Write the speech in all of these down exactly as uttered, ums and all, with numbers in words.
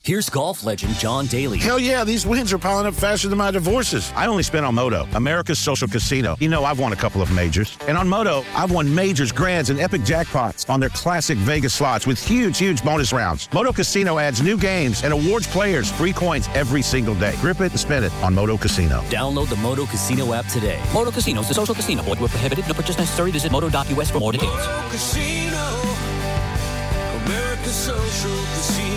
Here's golf legend John Daly. Hell yeah, these wins are piling up faster than my divorces. I only spent on Moto, America's social casino. You know, I've won a couple of majors. And on Moto, I've won majors, grands, and epic jackpots on their classic Vegas slots with huge, huge bonus rounds. Moto Casino adds new games and awards players free coins every single day. Grip it and spin it on Moto Casino. Download the Moto Casino app today. Moto Casino is a social casino. Void where prohibited. No purchase necessary. Visit moto dot u s for more details. Moto Casino, America's social casino.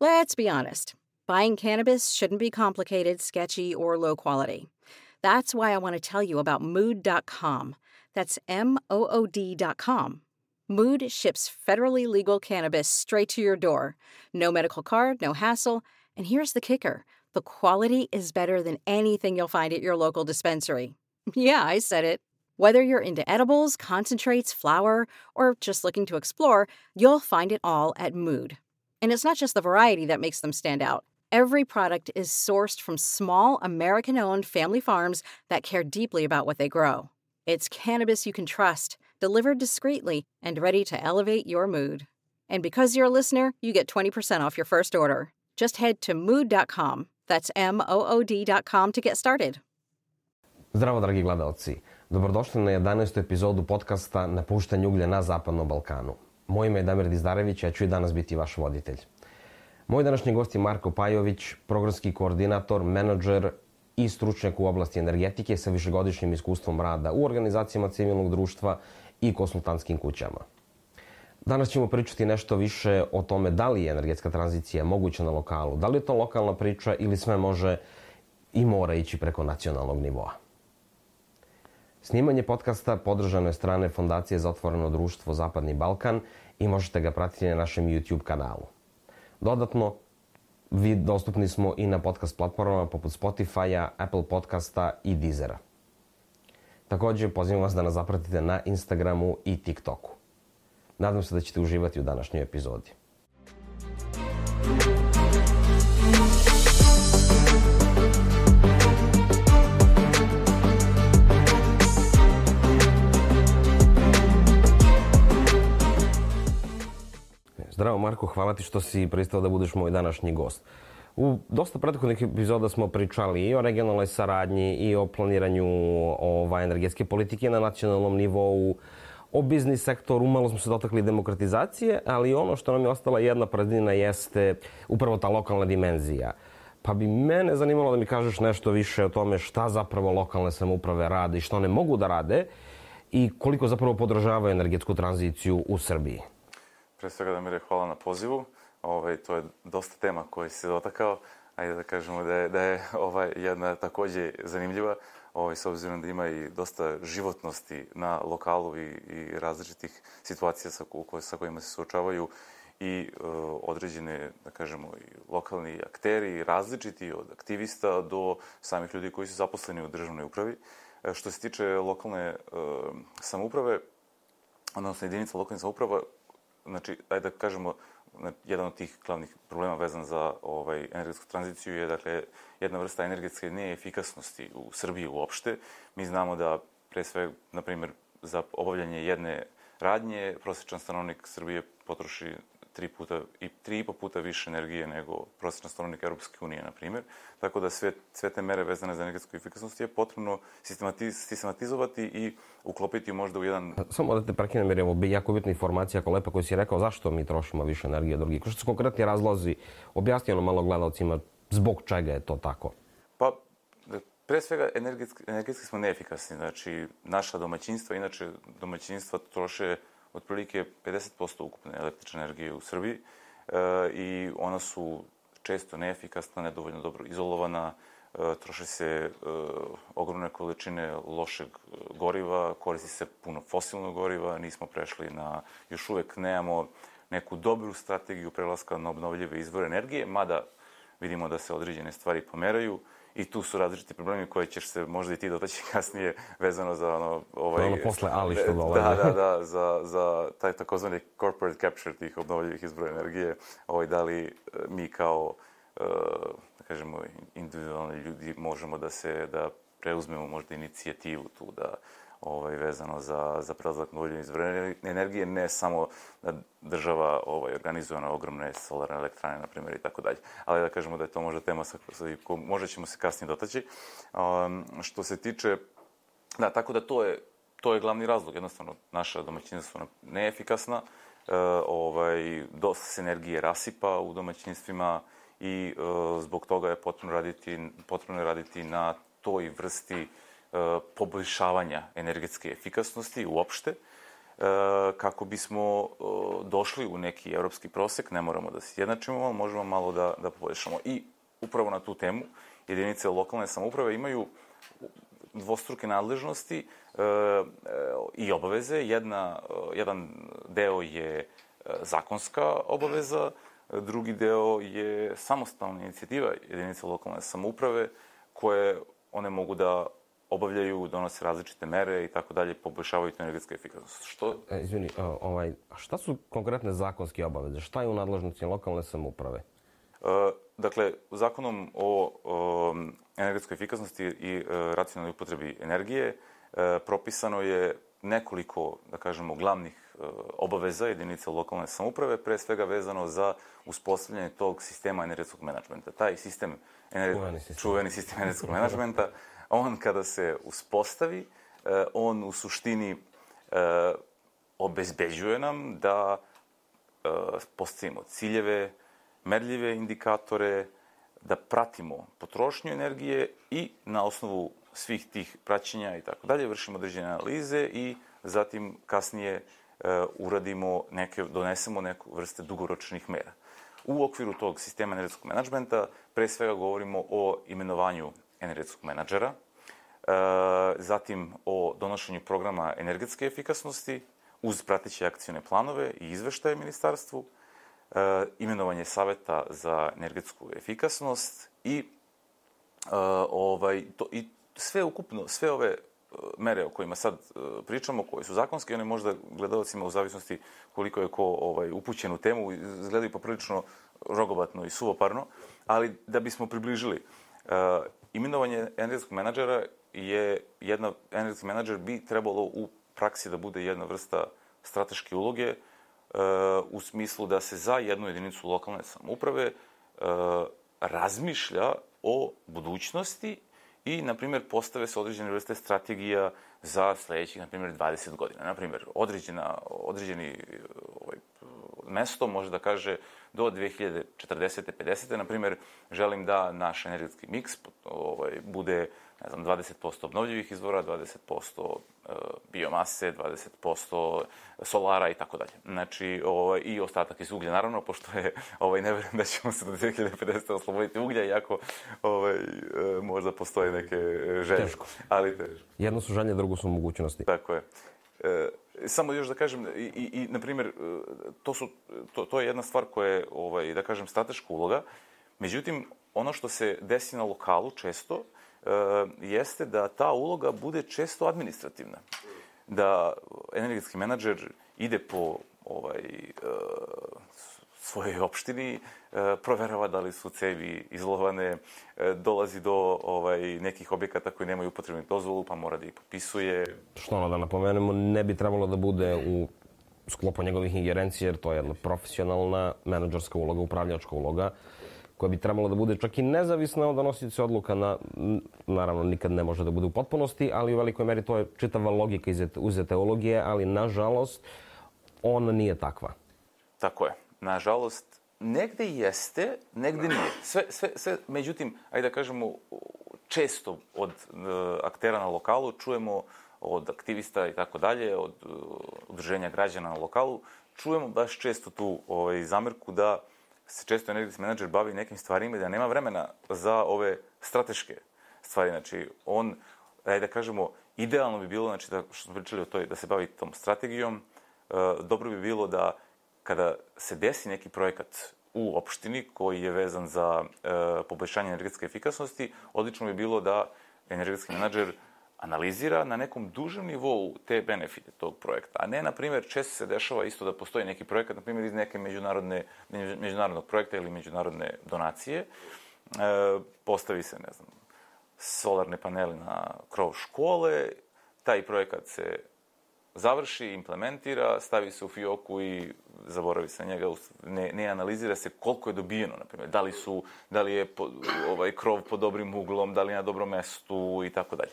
Let's be honest. Buying cannabis shouldn't be complicated, sketchy, or low quality. That's why I want to tell you about mood dot com. That's M O O D dot com. Mood ships federally legal cannabis straight to your door. No medical card, no hassle. And here's the kicker. The quality is better than anything you'll find at your local dispensary. Yeah, I said it. Whether you're into edibles, concentrates, flower, or just looking to explore, you'll find it all at Mood. And it's not just the variety that makes them stand out. Every product is sourced from small, American-owned family farms that care deeply about what they grow. It's cannabis you can trust, delivered discreetly, and ready to elevate your mood. And because you're a listener, you get twenty percent off your first order. Just head to mood dot com. That's M O O D dot com to get started. Zdravo, dragi gledalci. Dobrodošli na jedanaestu epizodu podcasta Napuštanje uglja na Zapadnom Balkanu. Moje ime je Damir Dizdarević, ja ću i danas biti vaš voditelj. Moj današnji gost je Marko Pajović, programski koordinator, menadžer i stručnjak u oblasti energetike sa višegodišnjim iskustvom rada u organizacijama civilnog društva i konsultantskim kućama. Danas ćemo pričati nešto više o tome da li je energetska tranzicija moguća na lokalu, da li je to lokalna priča ili sve može i mora ići preko nacionalnog nivoa. Snimanje podcasta podržano je strane Fondacije za otvoreno društvo Zapadni Balkan i možete ga pratiti na našem YouTube kanalu. Dodatno, vi dostupni smo i na podcast platformama poput Spotify-a, Apple podcasta i Deezera. Također, pozivam vas da nas zapratite na Instagramu i TikToku. Nadam se da ćete uživati u današnjoj epizodi. Zdravo Marko, hvala ti što si pristao da budeš moj današnji gost. U dosta prethodnih epizoda smo pričali i o regionalnoj saradnji i o planiranju ovaj, energetske politike na nacionalnom nivou, o biznis sektoru, malo smo se dotakli demokratizacije, ali ono što nam je ostala jedna praznina jeste upravo ta lokalna dimenzija. Pa bi mene zanimalo da mi kažeš nešto više o tome šta zapravo lokalne samouprave rade i što one mogu da rade i koliko zapravo podržavaju energetsku tranziciju u Srbiji. Pre svega da mi re hvala na pozivu. Ovaj, to je dosta tema koje si se dotakao. Ajde da kažemo da je, da je ovaj, jedna takođe zanimljiva, ovaj, s obzirom da ima i dosta životnosti na lokalu i, i različitih situacija sa, sa kojima se suočavaju i uh, određene, da kažemo, i lokalni akteri, različiti od aktivista do samih ljudi koji su zaposleni u državnoj upravi. E, što se tiče lokalne uh, samouprave, odnosno jedinica lokalne samouprava, znači, ajde da kažemo, jedan od tih glavnih problema vezan za ovaj, energetsku tranziciju je, dakle, jedna vrsta energetske neefikasnosti u Srbiji uopšte. Mi znamo da, pre sve, na primjer, za obavljanje jedne radnje, prosječan stanovnik Srbije potroši tri puta i tri i po puta više energije nego prosječan stanovnik Europske unije, na primjer. Tako da sve, sve te mere vezane za energetsku efikasnost je potrebno sistematiz, sistematizovati i uklopiti možda u jedan... Samo da te prekinem, jer je ovo jako bitna informacija, ako lepa, koju si rekao, zašto mi trošimo više energije od drugih? Što su konkretni razlozi? Objasni ono malo gledalcima zbog čega je to tako. Pa, pre svega, energetski, energetski smo neefikasni. Znači, naša domaćinstva, inače domaćinstva troše otprilike pedeset posto ukupne električne energije u Srbiji e, i ona su često neefikasna, nedovoljno dobro izolovana, e, troše se e, ogromne količine lošeg goriva, koristi se puno fosilnog goriva, nismo prešli na, još uvek nemamo neku dobru strategiju prelaska na obnovljive izvore energije, mada vidimo da se određene stvari pomeraju. I tu su različiti problemi koje ćeš se možda i ti dotaći kasnije vezano za ono... Ovaj, ono posle ali što dolazi. Da, da, da, za, za taj takozvani corporate capture tih obnovljivih izvora energije. Ovaj, da li mi kao, da kažemo, individualni ljudi možemo da se, da preuzmemo možda inicijativu tu, da ovaj, vezano za, za prelazak na obnovljive izvore energije, ne samo da država ovaj, organizuje na ogromne solarne elektrane, na primjer, i tako dalje. Ali da kažemo da je to možda tema sa kojom možda ćemo se kasnije dotaći. Um, što se tiče, da, tako da to je, to je glavni razlog. Jednostavno, naša domaćinstva su neefikasna, uh, ovaj, dosta se energije rasipa u domaćinstvima i uh, zbog toga je potrebno raditi, potrebno je raditi na toj vrsti poboljšavanja energetske efikasnosti uopšte, kako bismo došli u neki evropski prosek, ne moramo da se jednačimo, ali možemo malo da, da poboljšamo. I upravo na tu temu jedinice lokalne samouprave imaju dvostruke nadležnosti i obaveze. Jedna, jedan deo je zakonska obaveza, drugi deo je samostalna inicijativa jedinice lokalne samouprave koje one mogu da obavljaju, donose različite mere i tako dalje, poboljšavaju tu energetsku efikasnost. Što? E, izvini, ovaj, a šta su konkretne zakonske obaveze? Šta je u nadležnosti lokalne samouprave? E, dakle, zakonom o, o energetskoj efikasnosti i e, racionalnoj upotrebi energije e, propisano je nekoliko, da kažemo, glavnih e, obaveza jedinica lokalne samouprave, pre svega vezano za uspostavljanje tog sistema energetskog menadžmenta. Taj sistem, ener... čuveni sistem, čuveni sistem energetskog menadžmenta, on kada se uspostavi, on u suštini obezbeđuje nam da postavimo ciljeve, merljive indikatore, da pratimo potrošnju energije i na osnovu svih tih praćenja i tako dalje vršimo određene analize i zatim kasnije uradimo neke, donesemo neku vrste dugoročnih mera. U okviru tog sistema energetskog menadžmenta pre svega govorimo o imenovanju energetskog menadžera, zatim o donošenju programa energetske efikasnosti uz prateće akcione planove i izveštaje ministarstvu, imenovanje saveta za energetsku efikasnost i, ovaj, to, i sve ukupno, sve ove mere o kojima sad pričamo, koje su zakonske, one možda gledalcima u zavisnosti koliko je ko ovaj, upućen u temu, izgledaju poprilično rogobatno i suvoparno, ali da bismo približili, imenovanje energetskog menadžera je jedna, energetski menadžer bi trebalo u praksi da bude jedna vrsta strateške uloge u smislu da se za jednu jedinicu lokalne samouprave razmišlja o budućnosti i, na primjer, postave se određene vrste strategija za sledećih, na primjer, dvadeset godina. Na primjer, određena, određeni ovaj, mesto može da kaže do dve hiljade četrdesete pedesete na primjer, želim da naš energetski miks ovaj, bude, ne znam, dvadeset posto obnovljivih izvora, dvadeset posto biomase, dvadeset posto solara i tako dalje. Znači, ovaj, i ostatak iz uglja, naravno, pošto je, ovaj, ne verujem da ćemo se do dve hiljade pedesete osloboditi uglja, iako ovaj, možda postoje neke želje. Teško. Ali teško. Jedno su želje, drugo su mogućnosti. Tako je. E, samo još da kažem, i, i, i na primjer, to, su, to, to je jedna stvar koja je, ovaj, da kažem, strateška uloga. Međutim, ono što se desi na lokalu često e, jeste da ta uloga bude često administrativna. Da energetski menadžer ide po ovaj, e, svojoj opštini, e, proverava da li su cevi izlovane, e, dolazi do ovaj, nekih objekata koji nemaju upotrebnu dozvolu, pa mora da ih popisuje. Što ono da napomenemo, ne bi trebalo da bude u sklopu njegovih ingerencija, jer to je jedna profesionalna menadžerska uloga, upravljačka uloga, koja bi trebalo da bude čak i nezavisna od donosioca odluka, na, naravno nikad ne može da bude u potpunosti, ali u velikoj meri to je čitava logika uz teologije, ali nažalost ona nije takva. Tako je. Nažalost, negde jeste, negde nije. Sve, sve, sve, međutim, ajde da kažemo, često od uh, aktera na lokalu čujemo, od aktivista i tako dalje, od uh, udruženja građana na lokalu, čujemo baš često tu ovaj, zamerku da se često energetski menadžer bavi nekim stvarima i da nema vremena za ove strateške stvari. Znači, on, ajde da kažemo, idealno bi bilo, znači, da, što smo pričali o toj, da se bavi tom strategijom, uh, dobro bi bilo da kada se desi neki projekat u opštini koji je vezan za e, poboljšanje energetske efikasnosti, odlično bi bilo da energetski menadžer analizira na nekom dužem nivou te benefite tog projekta. A ne, na primjer, često se dešava isto da postoji neki projekat, na primjer, iz neke međunarodne, međunarodnog projekta ili međunarodne donacije. E, postavi se, ne znam, solarne paneli na krov škole, taj projekat se završi, implementira, stavi se u fioku i zaboravi se na njega, ne, ne analizira se koliko je dobijeno, na primjer, da li su, da li je po, ovaj krov pod dobrim uglom, da li je na dobrom mestu i tako dalje.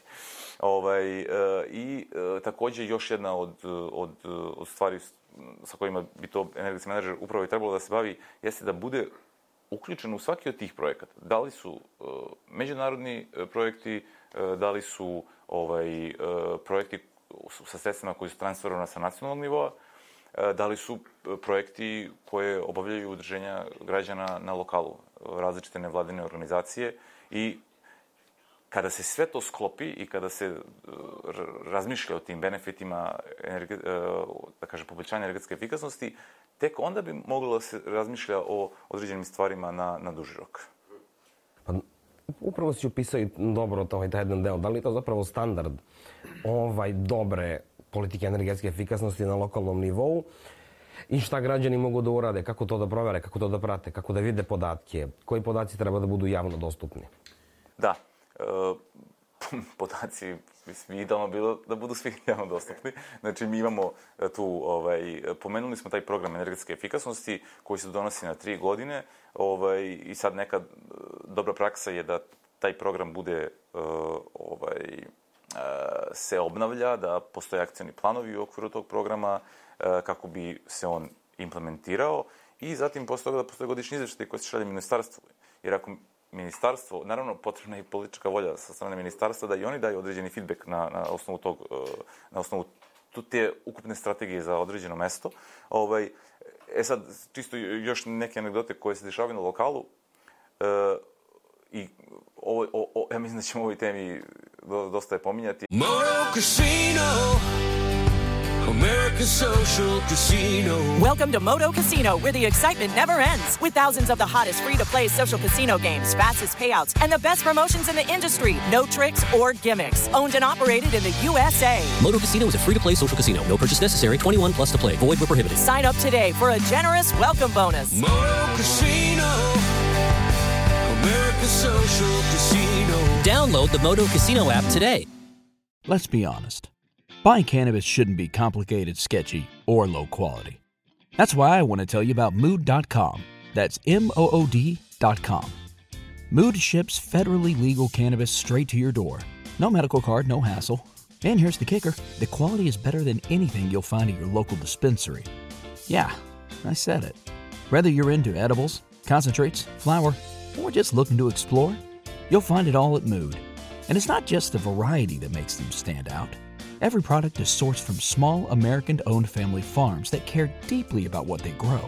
Ovaj e, i e, takođe još jedna od, od, od stvari sa kojima bi to energetski menadžer upravo i trebalo da se bavi jeste da bude uključen u svaki od tih projekata. Da li su e, međunarodni projekti, e, da li su ovaj e, projekti sa sredstvima koji su transferovana sa nacionalnog nivoa, da li su projekti koje obavljaju udruženja građana na lokalu, različite nevladine organizacije i kada se sve to sklopi i kada se razmišlja o tim benefitima, da kažem, poboljšanja energetske efikasnosti, tek onda bi moglo da se razmišlja o određenim stvarima na, na duži rok. Pa, upravo si upisao i dobro to, taj jedan deo. Da li je to zapravo standard ovaj dobre politike energetske efikasnosti na lokalnom nivou i šta građani mogu da urade, kako to da provere, kako to da prate, kako da vide podatke, koji podaci treba da budu javno dostupni? Da. E, podaci, mislim, idealno bilo da budu svi javno dostupni. Znači, mi imamo tu, ovaj, pomenuli smo taj program energetske efikasnosti koji se donosi na tri godine ovaj, i sad neka dobra praksa je da taj program bude ovaj, se obnavlja, da postoje akcioni planovi u okviru tog programa kako bi se on implementirao i zatim posle toga da postoje godišnji izveštaj koji se šalje ministarstvu. Jer ako ministarstvo, naravno potrebna je i politička volja sa strane ministarstva da i oni daju određeni feedback na, na osnovu tog, na osnovu te ukupne strategije za određeno mesto. Ovaj, e sad, čisto još neke anegdote koje se dešavaju na lokalu. E, I ovo, o, o, ja mislim da ćemo ovoj temi dosta je pominjati. Moto Casino, America's social casino. Welcome to Moto Casino, where the excitement never ends. With thousands of the hottest free-to-play social casino games, fastest payouts, and the best promotions in the industry. No tricks or gimmicks. Owned and operated in the U S A. Moto Casino is a free-to-play social casino. No purchase necessary. twenty-one plus to play. Void where prohibited. Sign up today for a generous welcome bonus. Moto Casino, America's social casino. Download the Moto Casino app today. Let's be honest. Buying cannabis shouldn't be complicated, sketchy, or low quality. That's why I want to tell you about Mood dot com. That's M O O D dot com. Mood ships federally legal cannabis straight to your door. No medical card, no hassle. And here's the kicker. The quality is better than anything you'll find at your local dispensary. Yeah, I said it. Whether you're into edibles, concentrates, flower, or just looking to explore, you'll find it all at Mood. And it's not just the variety that makes them stand out. Every product is sourced from small, American-owned family farms that care deeply about what they grow.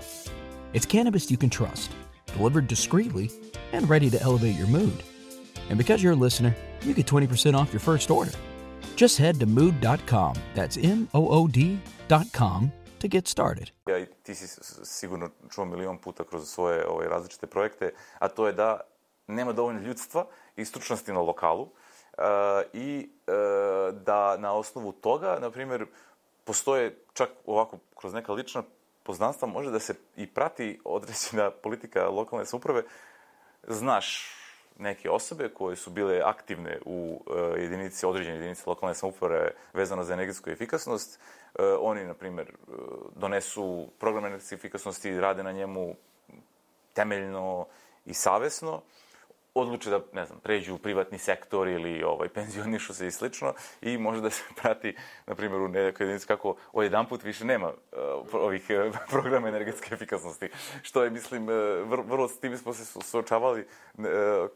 It's cannabis you can trust, delivered discreetly, and ready to elevate your mood. And because you're a listener, you get twenty percent off your first order. Just head to mood dot com, that's M O O D dot com, to get started. Ja, i ti si sigurno čuo milion puta kroz svoje ove, različite projekte, a to je da nema dovoljno ljudstva i stručnosti na lokalu. Uh, i uh, da na osnovu toga, na primjer, postoje čak ovako kroz neka lična poznanstva može da se i prati određena politika lokalne samouprave. Znaš neke osobe koje su bile aktivne u uh, jedinici, određene jedinice lokalne samouprave vezano za energetsku efikasnost. Uh, oni, na primjer, uh, donesu program energetske efikasnosti i rade na njemu temeljno i savesno. Odluče da, ne znam, pređu u privatni sektor ili ovaj, penzionišu se i slično i može da se prati, na primjer, u nekoj jedinici kako odjedanput više nema uh, ovih uh, programa energetske efikasnosti. Što je, mislim, uh, vrlo, vrlo s tim smo se suočavali uh,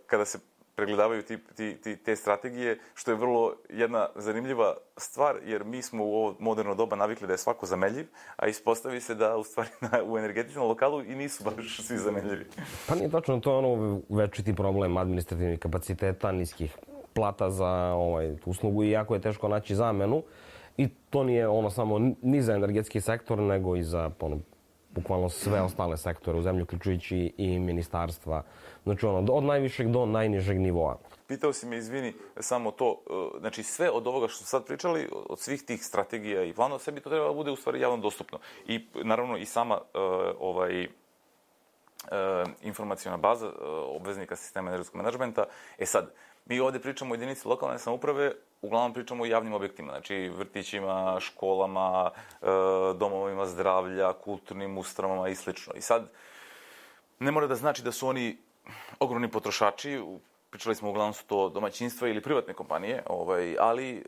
kada se pregledavaju ti, ti, ti, te strategije, što je vrlo jedna zanimljiva stvar, jer mi smo u ovo moderno doba navikli da je svako zameljiv, a ispostavi se da u stvari na, u energetičnom lokalu i nisu baš svi zameljivi. Pa nije tačno, to je ono večiti problem administrativnih kapaciteta, niskih plata za ovaj, uslugu i jako je teško naći zamenu. I to nije ono samo ni za energetski sektor, nego i za ono, bukvalno sve ostale sektore u zemlji, uključujući i ministarstva. Znači ono, od najvišeg do najnižeg nivoa. Pitao si me, izvini, samo to, znači sve od ovoga što smo sad pričali, od svih tih strategija i planova, sve bi to trebalo da bude u stvari javno dostupno. I naravno i sama uh, ovaj, uh, informacijona baza uh, obveznika sistema energetskog menadžmenta. E sad, mi ovde pričamo o jedinici lokalne samouprave uglavnom pričamo o javnim objektima, znači vrtićima, školama, domovima zdravlja, kulturnim ustanovama i slično. I sad, ne mora da znači da su oni ogromni potrošači, pričali smo uglavnom su to domaćinstva ili privatne kompanije, ovaj, ali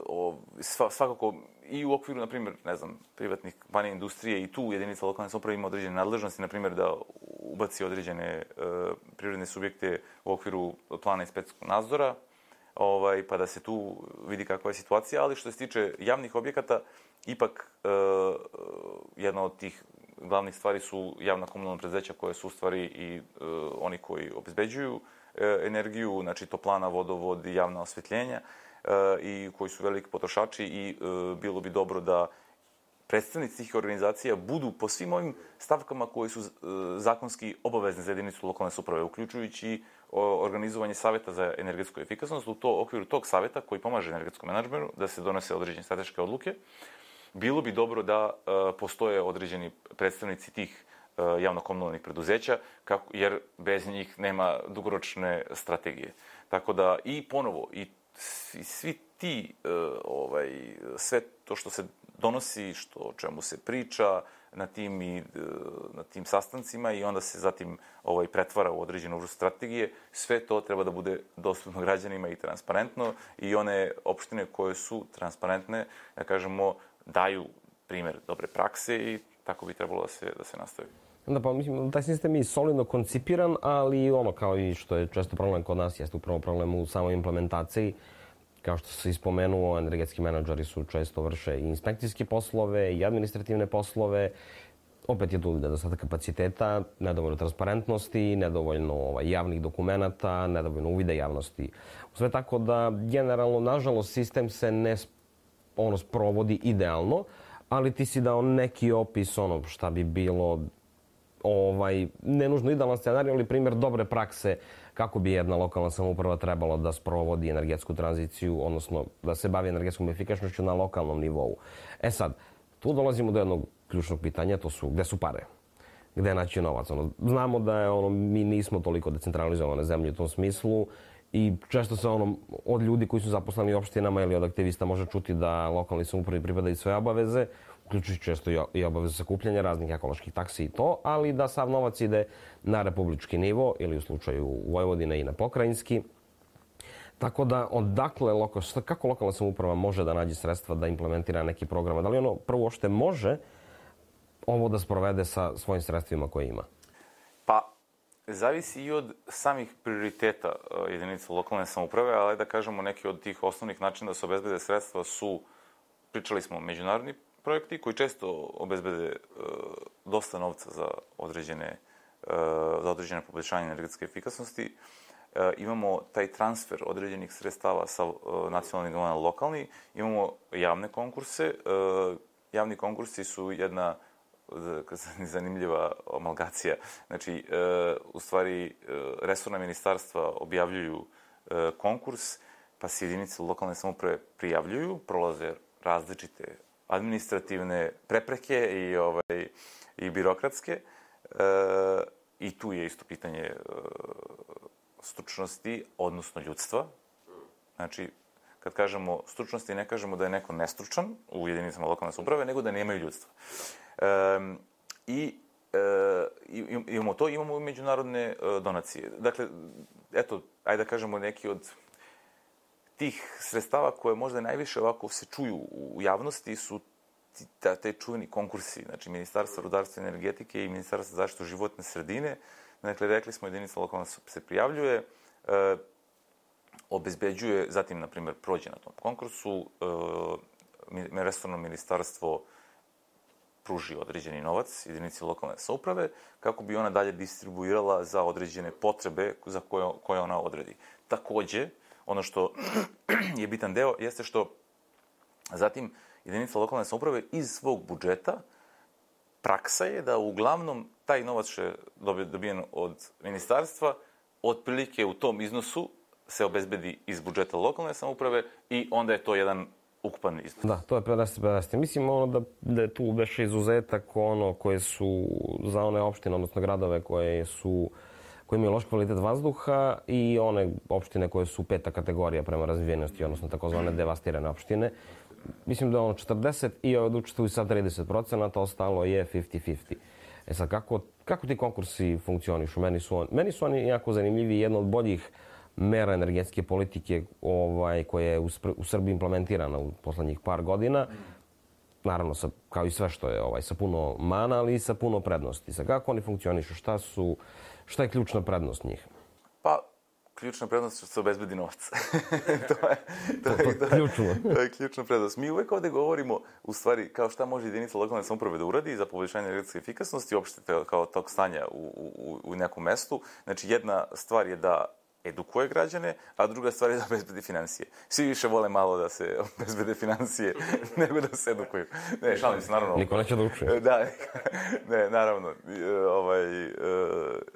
o, svakako i u okviru, na primjer, ne znam, privatnih kompanija, industrije i tu jedinica lokalne samouprave ima određene nadležnosti, na primjer da ubaci određene e, privredne subjekte u okviru plana inspekcijskog nadzora, ovaj, pa da se tu vidi kakva je situacija, ali što se tiče javnih objekata, ipak e, jedna od tih glavnih stvari su javna komunalna preduzeća koje su u stvari i e, oni koji obezbeđuju e, energiju, znači toplana, vodovod i javna osvetljenja, e, i koji su veliki potrošači i e, bilo bi dobro da predstavnici tih organizacija budu po svim ovim stavkama koji su e, zakonski obavezni za jedinicu lokalne samouprave, uključujući o, organizovanje saveta za energetsku efikasnost. U to okviru tog saveta koji pomaže energetskom menadžmentu da se donose određene strateške odluke, bilo bi dobro da e, postoje određeni predstavnici tih e, javno-komunalnih preduzeća, kako, jer bez njih nema dugoročne strategije. Tako da i ponovo, i svi, svi ti, e, ovaj, sve to što se donosi, što, o čemu se priča na tim, i, na tim sastancima i onda se zatim ovaj, pretvara u određenu vrstu strategije, sve to treba da bude dostupno građanima i transparentno i one opštine koje su transparentne, da kažemo, daju primjer dobre prakse i tako bi trebalo da se, da se nastavi. Da, pa mislim, taj sistem je solidno koncipiran, ali ono kao i što je često problem kod nas, jeste upravo problem u samoj implementaciji. Kao što se ispomenuo, energetski menadžeri su često vrše i inspekcijske poslove i administrativne poslove. Opet je tu nedostatak kapaciteta, nedovoljno transparentnosti, nedovoljno ovaj, javnih dokumenata, nedovoljno uvida javnosti. Sve tako da, generalno, nažalost, sistem se ne ono, sprovodi idealno, ali ti si dao neki opis ono šta bi bilo ovaj, ne nužno idealan scenarij, ali primjer dobre prakse kako bi jedna lokalna samouprava trebala da sprovodi energetsku tranziciju, odnosno da se bavi energetskom efikasnošću na lokalnom nivou. E sad, tu dolazimo do jednog ključnog pitanja, to su gde su pare? Gde naći novac? Ono, znamo da je, ono, mi nismo toliko decentralizovane zemlje u tom smislu i često se ono, od ljudi koji su zaposleni u opštinama ili od aktivista može čuti da lokalni samoupravi pripadaju sve obaveze, uključujući često i obavezu sakupljanja raznih ekoloških taksi i to, ali da sav novac ide na republički nivo ili u slučaju Vojvodine i na pokrajinski. Tako da, odakle, lokal, kako lokalna samouprava može da nađe sredstva da implementira neki program? Da li ono prvo uopšte može ovo da sprovede sa svojim sredstvima koje ima? Pa, zavisi i od samih prioriteta jedinica lokalne samouprave, ali da kažemo neki od tih osnovnih načina da se obezbede sredstva su, pričali smo, međunarodni projekti koji često obezbede uh, dosta novca za određene, uh, za određene poboljšanje energetske efikasnosti. Uh, imamo taj transfer određenih sredstava sa uh, nacionalnih nivoa na lokalni. Imamo javne konkurse. Uh, javni konkursi su jedna zanimljiva amalgacija. Znači, uh, u stvari, uh, resorna ministarstva objavljuju uh, konkurs, pa se jedinice lokalne samouprave prijavljuju, prolaze različite administrativne prepreke i, ovaj, i birokratske. E, I tu je isto pitanje e, stručnosti, odnosno ljudstva. Znači, kad kažemo stručnosti, ne kažemo da je neko nestručan u jedinicama lokalne samouprave, nego da nemaju ljudstva. E, I e, imamo to, imamo i međunarodne e, donacije. Dakle, eto, ajde da kažemo neki od tih sredstava koje možda najviše ovako se čuju u javnosti su te, te čuveni konkursi, znači Ministarstva rudarstva i energetike i Ministarstva zaštite životne sredine. Dakle, rekli smo, jedinica lokalna se prijavljuje, e, obezbeđuje, zatim, na primjer, prođe na tom konkursu, e, resorno ministarstvo pruži određeni novac jedinici lokalne samouprave kako bi ona dalje distribuirala za određene potrebe za koje, koje ona odredi. Takođe, ono što je bitan deo jeste što zatim jedinica lokalne samouprave iz svog budžeta praksa je da uglavnom taj novac što je dobijen od ministarstva otprilike u tom iznosu se obezbedi iz budžeta lokalne samouprave i onda je to jedan ukupan iznos. Da, to je pedeset pedeset. Mislim ono da, da je tu već izuzetak ono koje su za one opštine, odnosno gradove koje su koje imaju loš kvalitet vazduha i one opštine koje su peta kategorija prema razvijenosti, odnosno takozvane devastirane opštine. Mislim da je ono četrdeset i od učestvuju sa trideset procenata, ostalo je fifty fifty. E sad, kako, kako ti konkursi funkcionišu? Meni su, on, meni su oni jako zanimljivi i jedna od boljih mera energetske politike ovaj, koja je u, u Srbiji implementirana u poslednjih par godina. Naravno, sa, kao i sve što je ovaj, sa puno mana, ali i sa puno prednosti. Sad, kako oni funkcionišu? Šta, su, šta je ključna prednost njih? Pa, ključna prednost je što se obezbedi novac. to je, to, to, je, to, ključno. to je ključna prednost. Mi uvek ovde govorimo, u stvari, kao šta može jedinica lokalne samouprave da uradi za poboljšanje energetske efikasnosti, uopšte kao tog stanja u, u, u nekom mestu. Znači, jedna stvar je da edukuje građane, a druga stvar je da obezbedi financije. Svi više vole malo da se obezbede financije nego da se edukuju. Ne, šalim se, naravno. Niko neće da uči. Da, ne, naravno. Ovaj,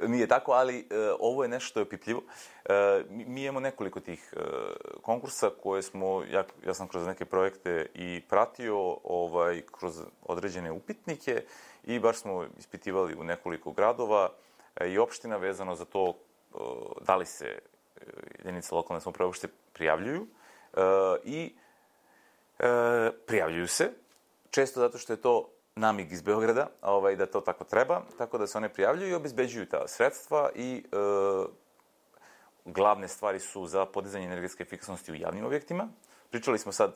nije tako, ali ovo je nešto što je opipljivo. Mi imamo nekoliko tih konkursa koje smo, ja, ja sam kroz neke projekte i pratio ovaj, kroz određene upitnike i baš smo ispitivali u nekoliko gradova i opština vezano za to da li se jedinice lokalne samouprave uopšte prijavljuju i prijavljuju se, često zato što je to namig iz Beograda, ovaj, da to tako treba, tako da se one prijavljuju i obezbeđuju ta sredstva i e, glavne stvari su za podizanje energetske efikasnosti u javnim objektima. Pričali smo sad,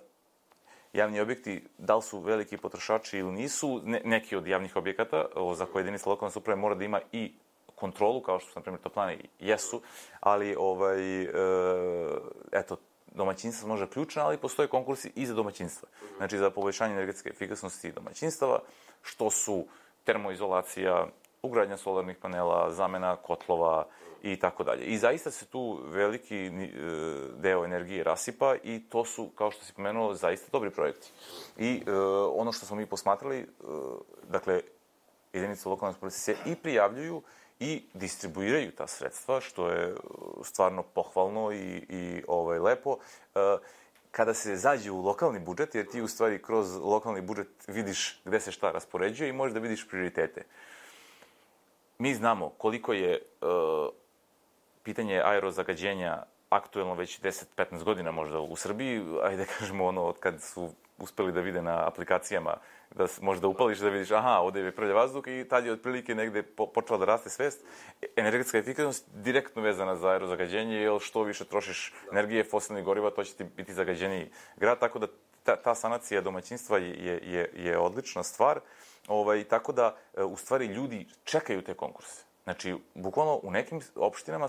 javni objekti, da li su veliki potrošači ili nisu, ne, neki od javnih objekata o, za koje jedinica lokalne samouprave mora da ima i kontrolu, kao što su, na primjer, toplane jesu, ali, ovaj, e, eto, domaćinstva može ključno, ali postoje konkursi i za domaćinstva. Znači, za poboljšanje energetske efikasnosti domaćinstava, što su termoizolacija, ugradnja solarnih panela, zamena kotlova i tako dalje. I zaista se tu veliki deo energije rasipa i to su, kao što si pomenuo, zaista dobri projekti. I e, ono što smo mi posmatrali, e, dakle, jedinice lokalne samouprave se i prijavljuju i distribuiraju ta sredstva, što je stvarno pohvalno i, i ovaj, lepo. Kada se zađe u lokalni budžet, jer ti u stvari kroz lokalni budžet vidiš gde se šta raspoređuje i možeš da vidiš prioritete. Mi znamo koliko je uh, pitanje aerozagađenja aktuelno već deset do petnaest godina možda u Srbiji, ajde da kažemo ono od kad su uspeli da vide na aplikacijama, da možda upališ da vidiš, aha, ovde je prljav vazduh i tad je otprilike negde po, počela da raste svest. Energetska efikasnost direktno vezana za aerozagađenje, jer što više trošiš energije, fosilnih goriva, to će ti biti zagađeniji grad, tako da ta, ta sanacija domaćinstva je, je, je odlična stvar, ovaj, tako da u stvari ljudi čekaju te konkurse. Znači, bukvalno u nekim opštinama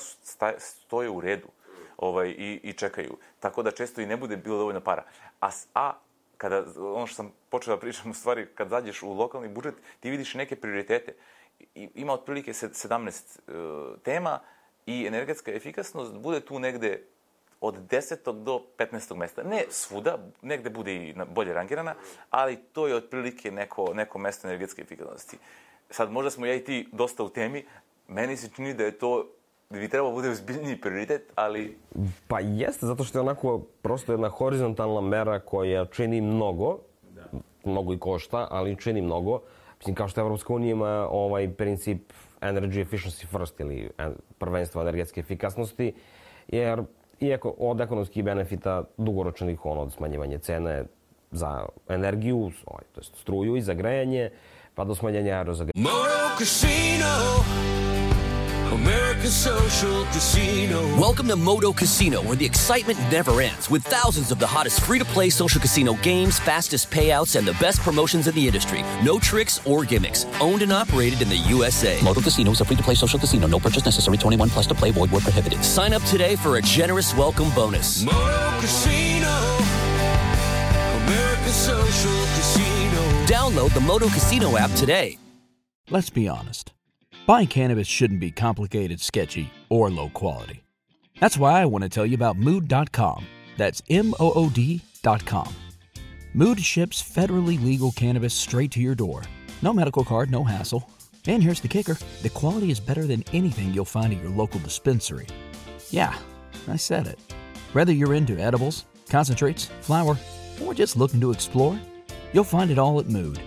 stoje u redu ovaj, i, i čekaju, tako da često i ne bude bilo dovoljno para. A, a kada, ono što sam počeo da pričam, u stvari, kad zađeš u lokalni budžet, ti vidiš neke prioritete. I, ima otprilike sedamnaest uh, tema i energetska efikasnost bude tu negde od desetog do petnaestog mesta. Ne svuda, negde bude i bolje rangirana, ali to je otprilike neko, neko mesto energetske efikasnosti. Sad, možda smo ja i ti dosta u temi, meni se čini da je to da bi trebalo bude ozbiljniji prioritet, ali... Pa jeste, zato što je onako prosto jedna horizontalna mera koja čini mnogo, da. mnogo i košta, ali čini mnogo. Mislim, kao što Evropska unija ima ovaj princip energy efficiency first ili prvenstvo energetske efikasnosti, jer iako od ekonomskih benefita dugoročnih, ono, od smanjivanja cene za energiju, to je struju i za grejanje, pa do smanjenja aerozagađenja. Moto Casino, American Social Casino. Welcome to Moto Casino, where the excitement never ends, with thousands of the hottest free-to-play social casino games, fastest payouts, and the best promotions in the industry. No tricks or gimmicks. Owned and operated in the U S A. Moto Casino is a free-to-play social casino. No purchase necessary. twenty-one plus to play. Void where prohibited. Sign up today for a generous welcome bonus. Moto Casino, American Social Casino. Download the Moto Casino app today. Let's be honest. Buying cannabis shouldn't be complicated, sketchy, or low quality. That's why I want to tell you about Mood dot com. That's M O O D dot com. Mood ships federally legal cannabis straight to your door. No medical card, no hassle. And here's the kicker. The quality is better than anything you'll find at your local dispensary. Yeah, I said it. Whether you're into edibles, concentrates, flower, or just looking to explore, you'll find it all at Mood.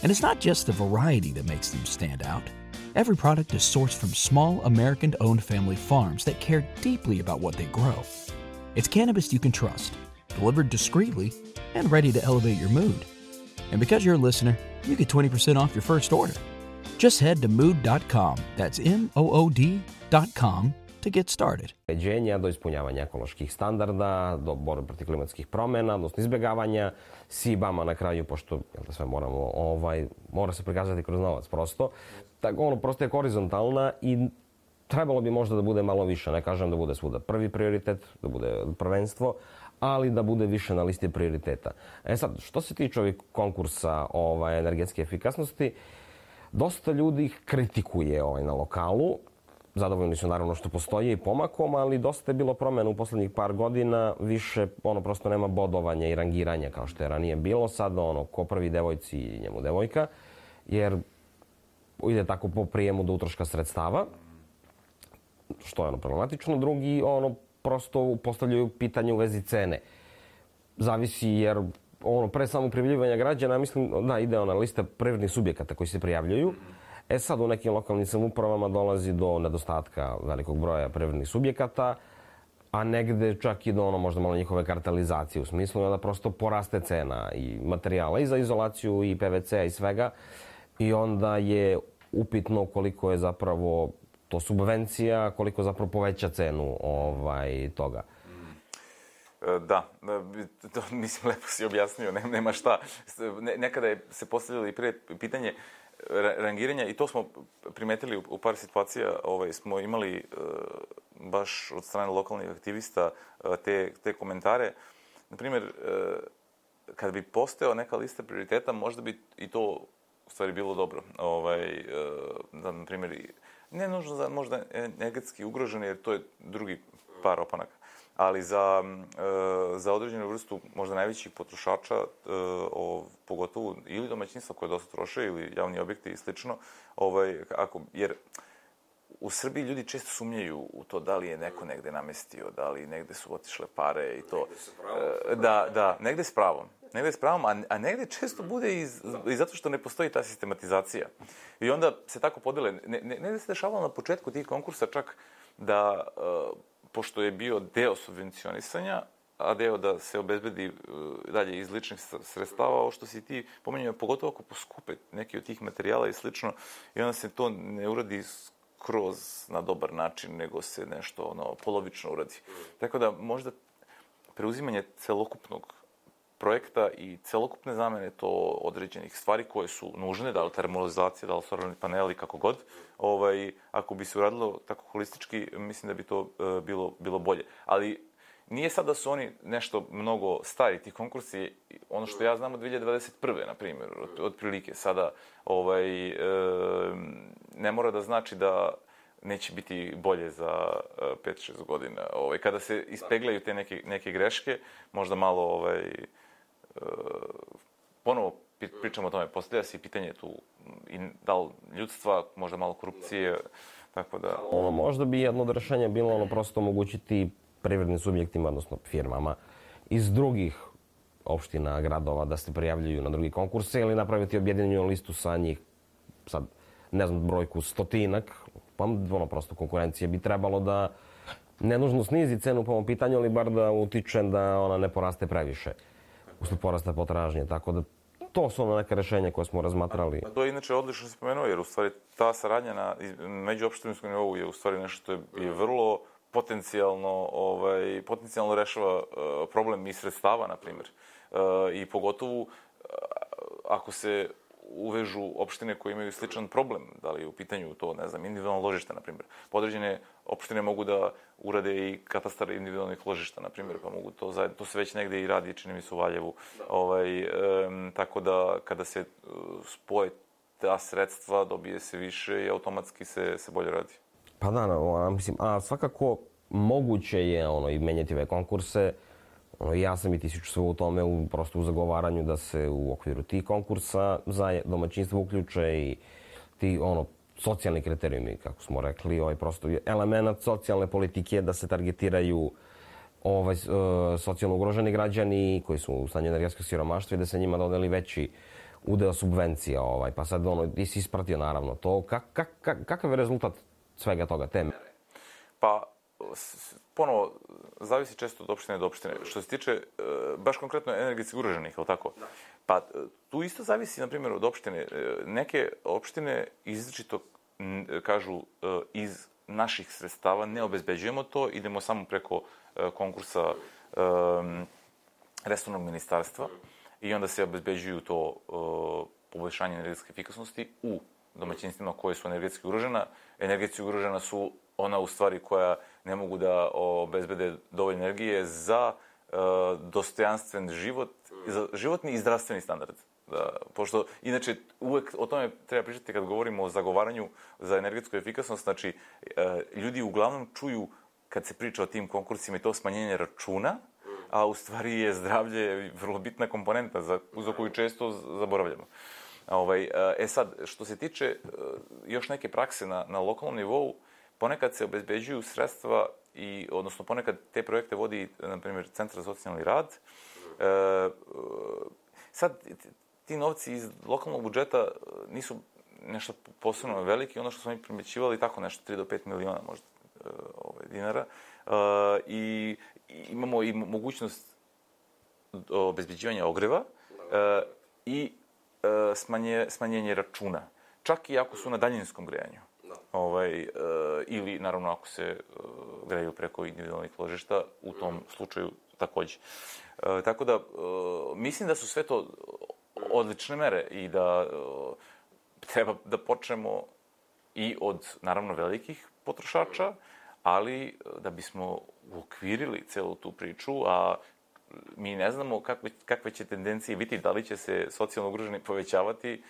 And it's not just the variety that makes them stand out. Every product is sourced from small American-owned family farms that care deeply about what they grow. It's cannabis you can trust, delivered discreetly, and ready to elevate your mood. And because you're a listener, you get twenty percent off your first order. Just head to mood dot com, that's M O O D dot com, to get started. Do ispunjavanja ekoloških standarda, do borbe protiv klimatskih promjena, odnosno izbjegavanja S I B A-ma na kraju, pošto jel da sve moramo, ovaj, mora se prikazati kroz novac prosto. Tako ono prosto je horizontalna i trebalo bi možda da bude malo više. Ne kažem da bude svuda prvi prioritet, da bude prvenstvo, ali da bude više na listi prioriteta. E sad, što se tiče ovih konkursa ovaj, energetske efikasnosti, dosta ljudi ih kritikuje ovaj, na lokalu. Zadovoljni su naravno što postoje i pomakom, ali dosta je bilo promjena u poslednjih par godina. Više ono prosto nema bodovanja i rangiranja kao što je ranije bilo. Sad ono ko prvi devojci i njemu devojka, jer ide tako po prijemu do utroška sredstava, što je ono problematično. Drugi ono prosto postavljaju pitanje u vezi cene. Zavisi jer ono pre samog prijavljivanja građana, mislim da ide ona lista privrednih subjekata koji se prijavljuju. E sad u nekim lokalnim samoupravama dolazi do nedostatka velikog broja privrednih subjekata, a negde čak i do ono možda malo njihove kartelizacije u smislu da prosto poraste cena i materijala i za izolaciju i P V C-a i svega. I onda je upitno koliko je zapravo to subvencija, koliko zapravo poveća cenu ovaj, toga. Da, to mislim lepo si objasnio, nema šta. Nekada je se postavljalo i prije pitanje rangiranja i to smo primetili u par situacija. Ovaj, smo imali baš od strane lokalnih aktivista te, te komentare. Naprimjer, kad bi postojao neka lista prioriteta, možda bi i to u stvari bilo dobro. Ovaj, da, na primjer, ne nužno za možda energetski ugroženi, jer to je drugi par opanaka. Ali za, za određenu vrstu možda najvećih potrošača, pogotovo ili domaćinstva koje dosta troše ili javni objekti i slično, ovaj, ako, jer u Srbiji ljudi često sumnjaju u to da li je neko negde namestio, da li negde su otišle pare i to. Da, da, negde s pravom. Negde s pravom, a, a negde često bude i, i zato što ne postoji ta sistematizacija. I onda se tako podele. Ne, ne, negde se dešavalo na početku tih konkursa čak da, uh, pošto je bio deo subvencionisanja, a deo da se obezbedi uh, dalje iz ličnih sredstava, ovo što si ti pomenjao, pogotovo ako poskupe neki od tih materijala i slično, i onda se to ne uradi kroz na dobar način, nego se nešto ono, polovično uradi. Tako da možda preuzimanje celokupnog projekta i celokupne zamene to određenih stvari koje su nužne, da li termolizacija, da li solarni paneli, kako god, ovaj, ako bi se uradilo tako holistički, mislim da bi to uh, bilo, bilo bolje. Ali nije sad da su oni nešto mnogo stari, ti konkursi, ono što ja znam od dve hiljade dvadeset prve, na primjer, od, od prilike, sada ovaj, e, ne mora da znači da neće biti bolje za pet šest godina. Ovaj, kada se ispeglaju te neke, neke greške, možda malo ovaj, e, ponovo pričamo o tome, postavlja se i pitanje tu i da li ljudstva, možda malo korupcije, tako da... Ono, možda bi jedno od rešenja bilo ono prosto omogućiti privrednim subjektima, odnosno firmama iz drugih opština, gradova da se prijavljuju na drugi konkurse ili napraviti objedinjenu listu sa njih, sad ne znam brojku stotinak, pa ono prosto konkurencije bi trebalo da ne nužno snizi cenu po ovom pitanju, ali bar da utiče da ona ne poraste previše usled porasta potražnje, tako da to su ono neke rešenja koje smo razmatrali. A to je inače odlično se spomenuo, jer u stvari ta saradnja na međuopštinskom nivou je u stvari nešto što je, je vrlo potencijalno, ovaj, potencijalno rešava uh, problem i sredstava, na primjer. Uh, I pogotovo uh, ako se uvežu opštine koje imaju sličan problem, da li je u pitanju to, ne znam, individualno ložište, na primjer. Podređene opštine mogu da urade i katastar individualnih ložišta, na primjer, pa mogu to zajedno, to se već negde i radi, čini mi se u Valjevu. Ovaj, um, tako da kada se uh, spoje ta sredstva, dobije se više i automatski se, se bolje radi. Pa da, no, mislim, a svakako moguće je ono, i menjati ove konkurse. Ono, ja sam i ti sve u tome, u, prosto u zagovaranju da se u okviru tih konkursa za domaćinstvo uključe i ti ono, socijalni kriterijumi, kako smo rekli, ovaj, prosto element socijalne politike da se targetiraju ovaj, socijalno ugroženi građani koji su u stanju energetskog siromaštva i da se njima dodeli veći udeo subvencija, ovaj, pa sad ono, ti si ispratio naravno to. Kak, kak, kak, kakav je rezultat svega toga, te mere? Pa, ponovo, zavisi često od opštine do opštine. Što se tiče, baš konkretno energetski ugroženih, je li tako? Da. Pa, tu isto zavisi, na primjer, od opštine. Neke opštine izričito kažu iz naših sredstava ne obezbeđujemo to, idemo samo preko konkursa um, resornog ministarstva i onda se obezbeđuju to uh, poboljšanje energetske efikasnosti u domaćinstvima koje su energetski ugrožena. Energetski ugrožena su ona u stvari koja ne mogu da obezbede dovoljno energije za uh, dostojanstven život, za životni i zdravstveni standard. Da, pošto, inače, uvek o tome treba pričati kad govorimo o zagovaranju za energetsku efikasnost. Znači, ljudi uglavnom čuju, kad se priča o tim konkursima, i to smanjenje računa, a u stvari je zdravlje vrlo bitna komponenta za, za koju često zaboravljamo. Ovaj, e sad, što se tiče još neke prakse na, na lokalnom nivou, ponekad se obezbeđuju sredstva, i, odnosno ponekad te projekte vodi, na primjer, Centar za socijalni rad. E, sad, ti novci iz lokalnog budžeta nisu nešto posebno veliki, ono što smo mi primećivali, tako nešto, tri do pet miliona možda ovaj, dinara. Uh, i, i imamo i mogućnost obezbeđivanja ogreva uh, i uh, smanje, smanjenje računa. Čak i ako su na daljinskom grejanju. Ovaj, uh, ili, naravno, ako se uh, greju preko individualnih ložišta, u tom slučaju takođe. Uh, tako da, uh, mislim da su sve to odlične mere i da uh, treba da počnemo i od, naravno, velikih potrošača, ali da bismo uokvirili celu tu priču, a mi ne znamo kakve, kakve će tendencije biti, da li će se socijalno ugroženi povećavati,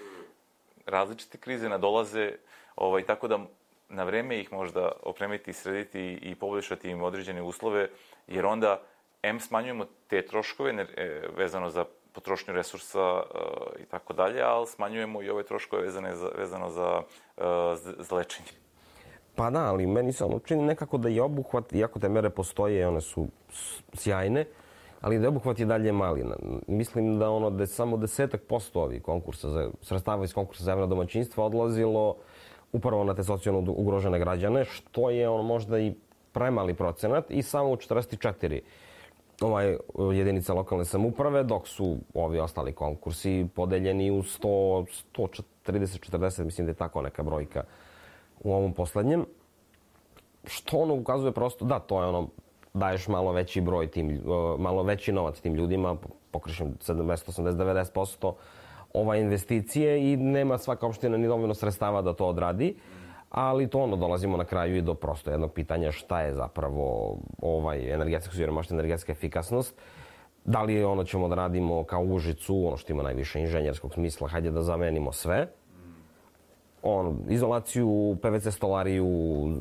različite krize nadolaze, ovaj, tako da na vreme ih možda opremiti, srediti i poboljšati im određene uslove, jer onda em smanjujemo te troškove ne, vezano za potrošnju resursa uh, i tako dalje, ali smanjujemo i ove troškove vezane za, vezano za, uh, za lečenje. Pa da, ali meni se ono čini nekako da je obuhvat, iako te mere postoje, one su sjajne, ali da je obuhvat je dalje mali. Mislim da ono da je samo desetak posto ovih konkursa, za, sredstava iz konkursa za javna domaćinstva odlazilo upravo na te socijalno ugrožene građane, što je ono možda i premali procenat, i samo u četrdeset četiri ovaj, jedinica lokalne samouprave, dok su ovi ostali konkursi podeljeni u sto, sto trideset četrdeset, mislim da je tako neka brojka u ovom poslednjem. Što ono ukazuje prosto, da, to je ono, daješ malo veći broj tim, malo veći novac tim ljudima, pokrišem sedamdeset, osamdeset, devedeset posto ova investicije i nema svaka opština ni dovoljno sredstava da to odradi. Ali to ono, dolazimo na kraju i do prosto jednog pitanja šta je zapravo ovaj energetska siromaštva, energetska efikasnost. Da li ono ćemo da radimo kao u Užicu, ono što ima najviše inženjerskog smisla, hajde da zamenimo sve. On, izolaciju, pe ve ce stolariju,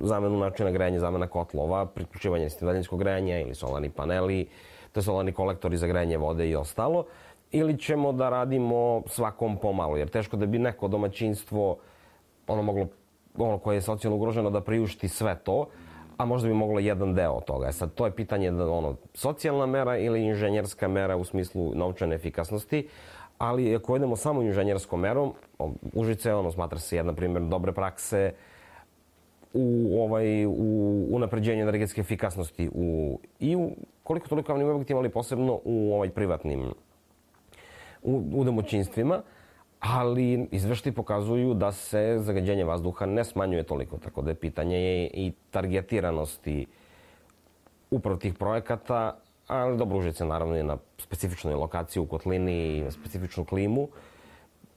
zamenu načina grejanja, zamena kotlova, priključivanje daljinskog grejanja ili solarni paneli, te solarni kolektori za grejanje vode i ostalo. Ili ćemo da radimo svakom pomalo, jer teško da bi neko domaćinstvo ono moglo ono koje je socijalno ugroženo da priušti sve to, a možda bi moglo jedan deo toga. E sad, to je pitanje da ono, socijalna mera ili inženjerska mera u smislu novčane efikasnosti, ali ako idemo samo inženjerskom merom, Užice, ono, smatra se jedna primjer dobre prakse u, ovaj, u unapređenju energetske efikasnosti u, i u koliko toliko javnim objektima, ali posebno u ovaj, privatnim, u, u domaćinstvima. Ali izveštaji pokazuju da se zagađenje vazduha ne smanjuje toliko, tako da je pitanje je i targetiranosti upravo tih projekata, ali dobro, Užice naravno je na specifičnoj lokaciji u kotlini i na specifičnu klimu,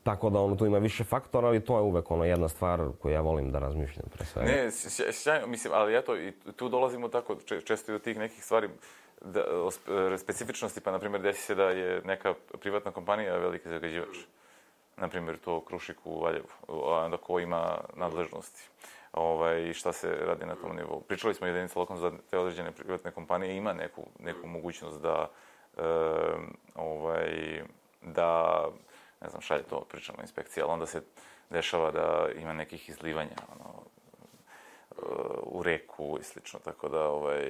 tako da ono tu ima više faktora, ali to je uvek ono jedna stvar koju ja volim da razmišljam pre svega. Ne, sjajno, mislim, ali eto, i tu dolazimo tako često i do tih nekih stvari, da, specifičnosti, pa na primjer desi se da je neka privatna kompanija veliki zagađivač. Na primjer, to Krušik u Valjevu, onda ko ima nadležnosti ovaj, i šta se radi na tom nivou. Pričali smo jedinica lokalno za te određene privatne kompanije, ima neku, neku mogućnost da, e, ovaj, da, ne znam, šalje to, pričamo inspekcija, ali onda se dešava da ima nekih izlivanja ono, u reku i slično, tako da ovaj,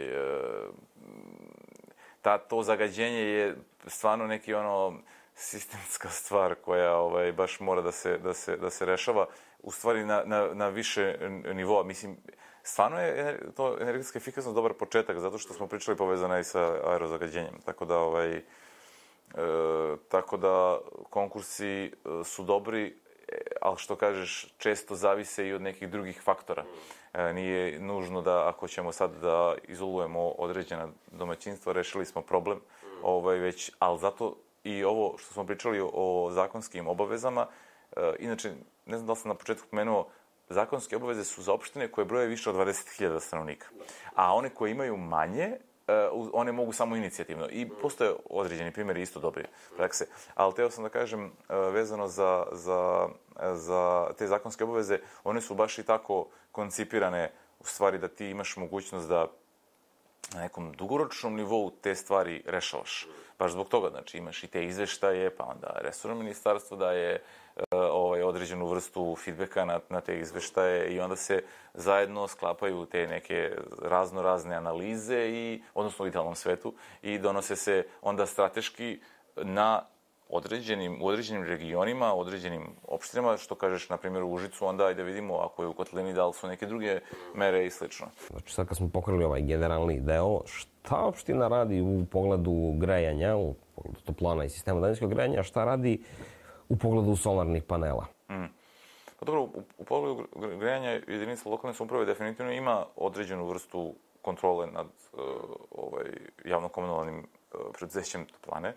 ta, to zagađenje je stvarno neki ono, sistemska stvar koja ovaj, baš mora da se, da se, da se rešava, u stvari na, na, na više nivoa. Mislim, stvarno je to energetska efikasnost dobar početak, zato što smo pričali povezana i sa aerozagađenjem. Tako da, ovaj, e, tako da konkursi su dobri, ali što kažeš, često zavise i od nekih drugih faktora. E, nije nužno da, ako ćemo sad da izolujemo određena domaćinstva, rešili smo problem, ovaj, već, ali zato i ovo što smo pričali o zakonskim obavezama, e, inače, ne znam da li sam na početku pomenuo, zakonske obaveze su za opštine koje broje više od dvadeset hiljada stanovnika. A one koje imaju manje, one mogu samo inicijativno. I postoje određeni primjeri isto dobri prakse. Ali teo sam da kažem, vezano za, za, za te zakonske obaveze, one su baš i tako koncipirane, u stvari da ti imaš mogućnost da na nekom dugoročnom nivou te stvari rešavaš. Baš zbog toga, znači imaš i te izveštaje, pa onda resorno ministarstvo daje ovaj, određenu vrstu feedbacka na, na te izveštaje i onda se zajedno sklapaju te neke razno razne analize, i, odnosno u idealnom svetu, i donose se onda strateški na određenim, u određenim regionima, određenim opštinama, što kažeš, na primjer, u Užicu, onda ajde vidimo ako je u kotlini, da li su neke druge mere i slično. Znači, sad kad smo pokrili ovaj generalni deo, šta opština radi u pogledu grejanja, u pogledu toplana i sistema daljinskog grejanja, šta radi u pogledu solarnih panela? Mm. Pa dobro, u, u pogledu grejanja jedinica lokalne samouprave definitivno ima određenu vrstu kontrole nad uh, ovaj, javno-komunalnim uh, preduzećem toplane.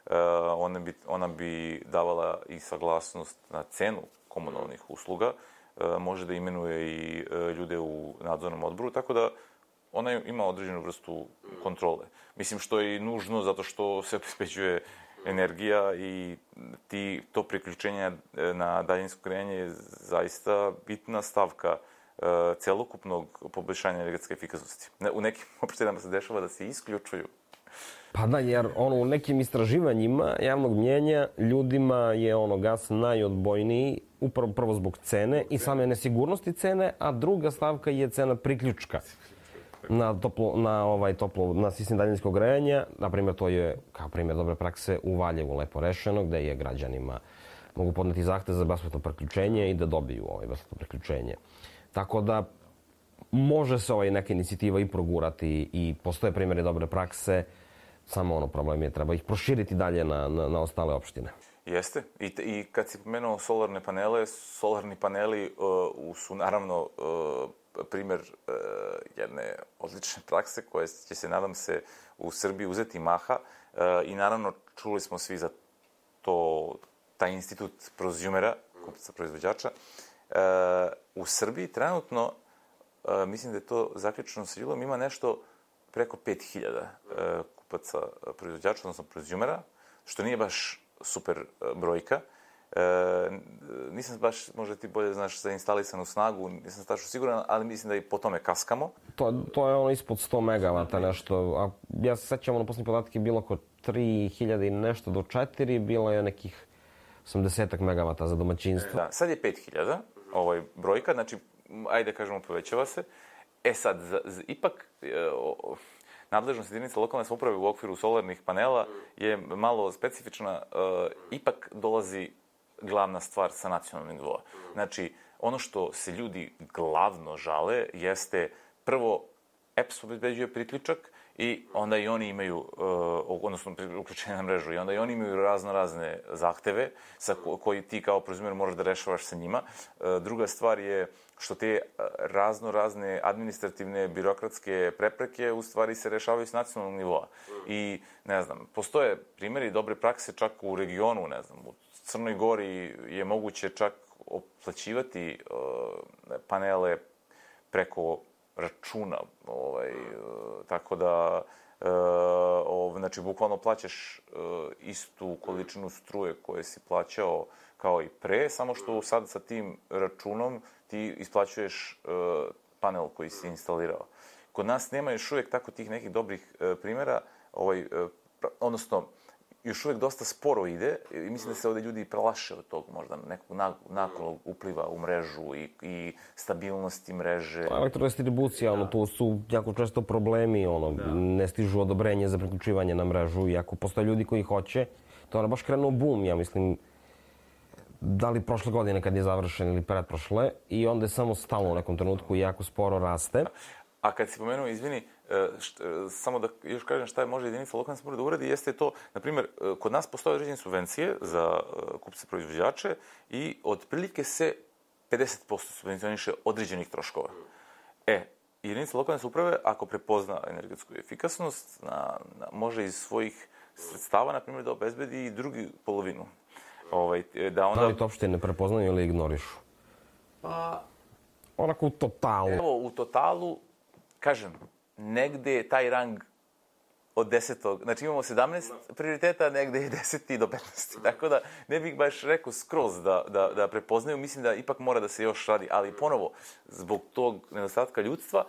Uh, ona, bi, ona bi davala i saglasnost na cenu komunalnih usluga, uh, može da imenuje i uh, ljude u nadzornom odboru, tako da ona ima određenu vrstu kontrole. Mislim, što je i nužno, zato što se obezbeđuje energija i ti, to priključenje na daljinsko grejanje je zaista bitna stavka uh, celokupnog poboljšanja energetske efikasnosti. U nekim opštinama se dešava da se isključuju. Pa da, jer ono, u nekim istraživanjima javnog mnjenja ljudima je ono gas najodbojniji, upravo prvo zbog cene i same nesigurnosti cene, a druga stavka je cena priključka na toplo, na ovaj toplo, na sistem daljinskog grejanja. Na primjer, to je kao primjer dobre prakse u Valjevu lepo rešeno, gde je građanima mogu podneti zahtev za besplatno priključenje i da dobiju ovaj besplatno priključenje. Tako da može se ovaj neka inicijativa i progurati i postoje primjeri dobre prakse, samo ono problem je treba ih proširiti dalje na, na, na ostale opštine. Jeste. I, I kad si pomenuo solarne panele, solarni paneli uh, su naravno uh, primjer uh, jedne odlične prakse koje će se, nadam se, u Srbiji uzeti maha. Uh, I naravno čuli smo svi za to, taj institut prosumera, kupca proizvođača. Uh, u Srbiji trenutno, uh, mislim da je to zaključno sa Julom, ima nešto preko pet hiljada uh, kupaca proizvođača, odnosno prosumera, što nije baš super brojka. E, nisam baš, možda ti bolje znaš, za instalisanu snagu, nisam tačno siguran, ali mislim da i po tome kaskamo. To, to je ono ispod sto megavata nešto, a ja se sećam, ono posljednje podatke je bilo oko tri hiljade i nešto do četiri, bilo je nekih osamdeset megavata za domaćinstvo. Da, sad je pet hiljada ovaj, brojka, znači, ajde kažemo, povećava se. E sad, za, za, ipak, e, o, nadležnost jedinica lokalne samouprave u okviru solarnih panela je malo specifična. E, ipak dolazi glavna stvar sa nacionalnog nivoa. Znači, ono što se ljudi glavno žale jeste prvo E P S obezbeđuje priključak i onda i oni imaju, uh, odnosno uključenje na mrežu, i onda i oni imaju razno razne zahteve sa ko, koji ti kao prozumer moraš da rešavaš sa njima. Uh, druga stvar je što te razno razne administrativne, birokratske prepreke u stvari se rešavaju s nacionalnog nivoa. I, ne znam, postoje primjeri dobre prakse čak u regionu, ne znam, u Crnoj Gori je moguće čak oplaćivati uh, panele preko računa, ovaj, tako da, e, ov, znači, bukvalno plaćaš e, istu količinu struje koje si plaćao kao i pre, samo što sad sa tim računom ti isplaćuješ e, panel koji si instalirao. Kod nas nema još uvijek tako tih nekih dobrih e, primjera, ovaj, e, odnosno, još uvijek dosta sporo ide i mislim da se ovdje ljudi prelaše od tog možda nekog nakolog upliva u mrežu i, i stabilnosti mreže. Pa, elektrodistribucija, ono, tu su jako često problemi, ono, da. Ne stižu odobrenje za priključivanje na mrežu i ako postoje ljudi koji hoće, to je baš krenuo bum, ja mislim, da li prošle godine kad je završen ili pretprošle i onda je samo stalo u nekom trenutku i jako sporo raste. A kad si pomenuo, izvini, št, samo da još kažem šta je može jedinica lokalne samouprave da uradi, jeste to, na primjer, kod nas postoje određene subvencije za kupce proizvođače i otprilike se pedeset posto subvencioniše određenih troškova. E, jedinica lokalne samouprave, ako prepozna energetsku efikasnost, na, na, može iz svojih sredstava, na primjer, da obezbedi i drugi polovinu. Ovaj, da, onda... da li to uopšte ne prepoznaju ili ignorišu? Pa... Onako u totalu. Evo, u totalu, kažem, negde je taj rang od desetog, znači imamo sedamnaest prioriteta, negde je deset do petnaest. Tako da ne bih baš rekao skroz da, da, da prepoznaju, mislim da ipak mora da se još radi, ali ponovo, zbog tog nedostatka ljudstva,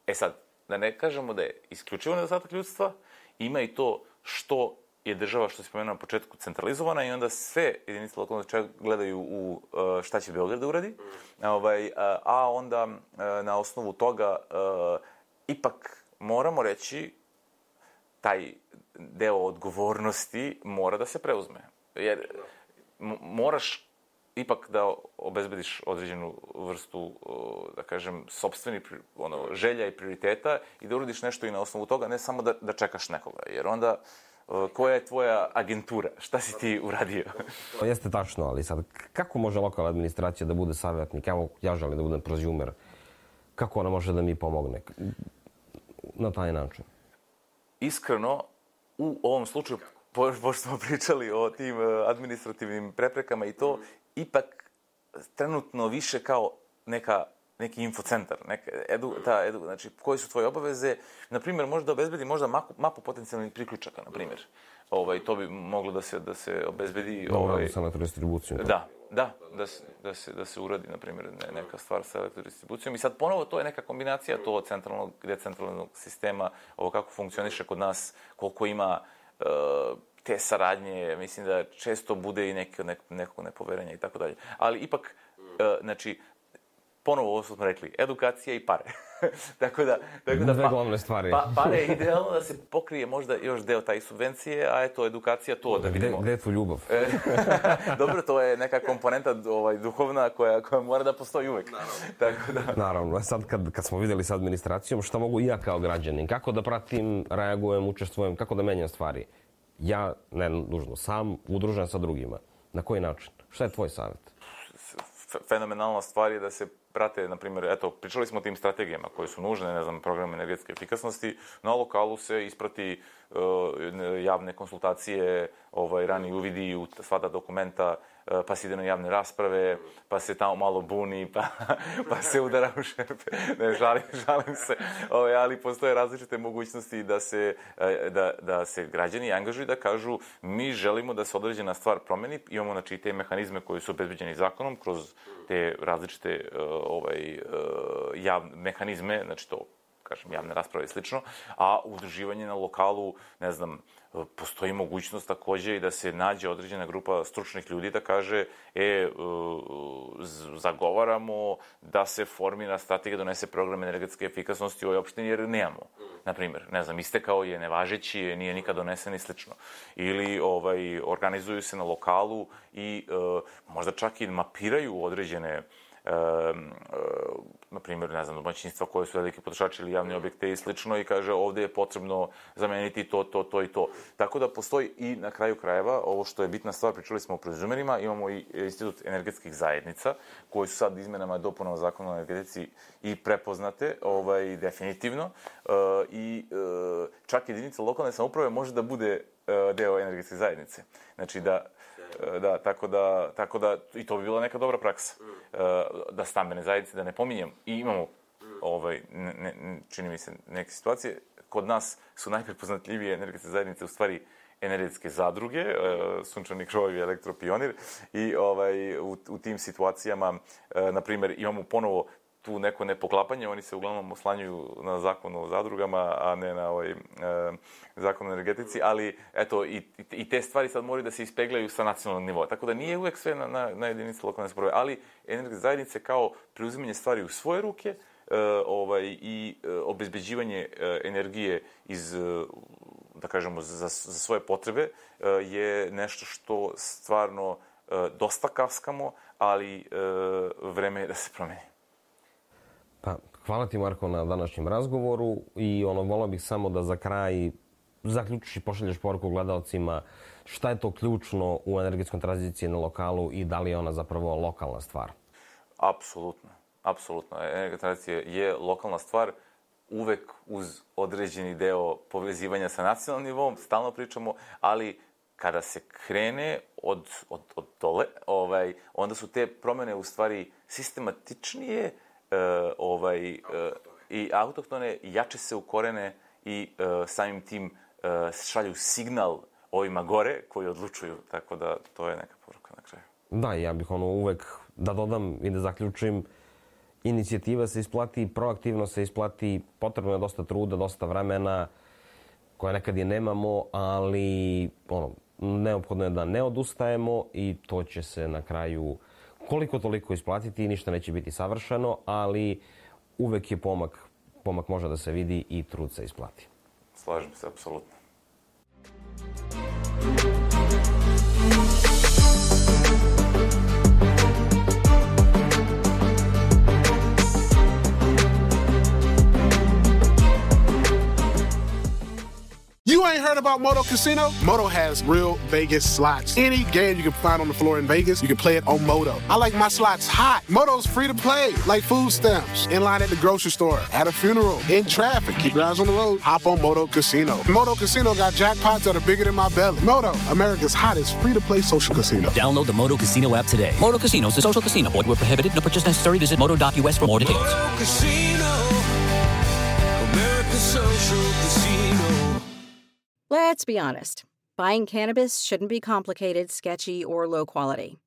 e sad, da ne kažemo da je isključivo nedostatak ljudstva, ima i to što je država, što se pomenuo na početku, centralizovana i onda sve jedinice lokalne samouprave gledaju u šta će Beograd da uradi, ovaj, a onda na osnovu toga ipak moramo reći taj deo odgovornosti mora da se preuzme. Jer moraš ipak da obezbediš određenu vrstu, da kažem, sopstveni ono, želja i prioriteta i da uradiš nešto i na osnovu toga, ne samo da, da čekaš nekoga. Jer onda, koja je tvoja agentura? Šta si ti uradio? Jeste tačno, ali sad, kako može lokalna administracija da bude savjetnik? Evo, ja želim da budem prozumer. Kako ona može da mi pomogne na taj način? Iskreno, u ovom slučaju, pošto smo pričali o tim administrativnim preprekama i to, ipak trenutno više kao neka, neki infocentar, neka edu, ta edu, znači koje su tvoje obaveze, na primjer, možda obezbedi možda mapu, mapu potencijalnih priključaka, na primjer. Ovaj, to bi moglo da se, da se obezbedi... Dobro, ovaj, sa elektrodistribucijom. Da, da, da se, da se, da se uradi, na primjer, ne, neka stvar sa elektrodistribucijom. I sad ponovo to je neka kombinacija to centralnog, decentralnog sistema, ovo kako funkcioniše kod nas, koliko ima uh, te saradnje, mislim da često bude i neke, nek, nekog nepoverenja i tako dalje. Ali ipak, uh, znači, ponovo ovo smo rekli, edukacija i pare. tako da, tako da Dve glavne stvari. Pa, pare je idealno da se pokrije možda još deo taj subvencije, a eto, edukacija to da vidimo. Gde je tu ljubav? Dobro, to je neka komponenta ovaj, duhovna koja, koja mora da postoji uvek. Naravno. Tako da... Naravno. Sad kad, kad smo vidjeli sa administracijom, šta mogu i ja kao građanin? Kako da pratim, reagujem, učestvujem, kako da menjam stvari? Ja, ne nužno, sam, udružen sa drugima. Na koji način? Šta je tvoj savjet? Fenomenalna stvar je da se prate, na primjer, eto, pričali smo o tim strategijama koje su nužne, ne znam, program energetske efikasnosti, na lokalu se isprati uh, javne konsultacije, ovaj, rani uvidi u sva ta dokumenta, uh, pa se ide na javne rasprave, pa se tamo malo buni, pa, pa se udara u šerpe. Ne, žalim, žalim se, ovaj, ali postoje različite mogućnosti da se, da, da se građani angažuju da kažu mi želimo da se određena stvar promeni, imamo znači te mehanizme koji su obezbeđeni zakonom kroz te različite ovaj, javne mehanizme, znači to, kažem, javne rasprave i slično, a udruživanje na lokalu, ne znam, postoji mogućnost takođe i da se nađe određena grupa stručnih ljudi da kaže, e, zagovaramo da se formira strategija, donese program energetske efikasnosti u ovoj opštini, jer nemamo. Naprimjer, ne znam, istekao je, nevažeći, nije nikad donesen i slično. Ili ovaj, organizuju se na lokalu i e, možda čak i mapiraju određene E, e, na primjer, ne znam, domaćinstva koje su veliki potrošači ili javni objekte i slično i kaže ovdje je potrebno zameniti to, to, to i to. Tako da postoji i na kraju krajeva, ovo što je bitna stvar, pričali smo o prozumerima, imamo i institut energetskih zajednica koji su sad izmenama i dopunama zakona o energetici i prepoznate, ovaj, definitivno. E, I e, čak jedinica lokalne samouprave može da bude e, deo energetske zajednice. Znači da Da, tako da, tako da, i to bi bila neka dobra praksa. Da stambene zajednice, da ne pominjem, i imamo, ovaj, ne, ne, čini mi se, neke situacije, kod nas su najprepoznatljivije energetske zajednice u stvari energetske zadruge, Sunčani krovovi, Elektropionir, i ovaj, u, u tim situacijama, na primjer, imamo ponovo tu neko nepoklapanje, oni se uglavnom oslanjuju na zakon o zadrugama, a ne na ovaj, e, zakon o energetici, ali eto, i, i te stvari sad moraju da se ispeglaju sa nacionalnog nivoa. Tako da nije uvek sve na, na, na jedinici lokalne samouprave, ali energetske zajednice kao preuzimanje stvari u svoje ruke, e, ovaj, i e, obezbeđivanje e, energije iz, e, da kažemo, za, za svoje potrebe e, je nešto što stvarno e, dosta kaskamo, ali e, vreme je da se promeni. Pa, hvala ti, Marko, na današnjem razgovoru i ono, volao bih samo da za kraj zaključiš i pošalješ poruku gledalcima šta je to ključno u energetskoj tranziciji na lokalu i da li je ona zapravo lokalna stvar. Apsolutno. Apsolutno. Energetska tranzicija je lokalna stvar, uvek uz određeni deo povezivanja sa nacionalnim nivom, stalno pričamo, ali kada se krene od, od, od dole, ovaj, onda su te promene u stvari sistematičnije, Uh, ovaj, uh, i autohtone, jače se ukorene i uh, samim tim uh, šalju signal ovima gore koji odlučuju. Tako da to je neka poruka na kraju. Da, ja bih ono uvek da dodam i da zaključim, inicijativa se isplati, proaktivno se isplati, potrebno je dosta truda, dosta vremena, koje nekad i nemamo, ali ono, neophodno je da ne odustajemo i to će se na kraju koliko toliko isplatiti i ništa neće biti savršeno, ali uvek je pomak, pomak može da se vidi i trud se isplati. Slažem se, apsolutno. You ain't heard about Moto Casino? Moto has real Vegas slots. Any game you can find on the floor in Vegas, you can play it on Moto. I like my slots hot. Moto's free to play, like food stamps. In line at the grocery store, at a funeral, in traffic. Keep your eyes on the road. Hop on Moto Casino. Moto Casino got jackpots that are bigger than my belly. Moto, America's hottest free-to-play social casino. Download the Moto Casino app today. Moto Casino is a social casino. Void where prohibited. No purchase necessary. Visit moto dot U S for more details. Moto Casino, America's social casino. Let's be honest. Buying cannabis shouldn't be complicated, sketchy, or low quality.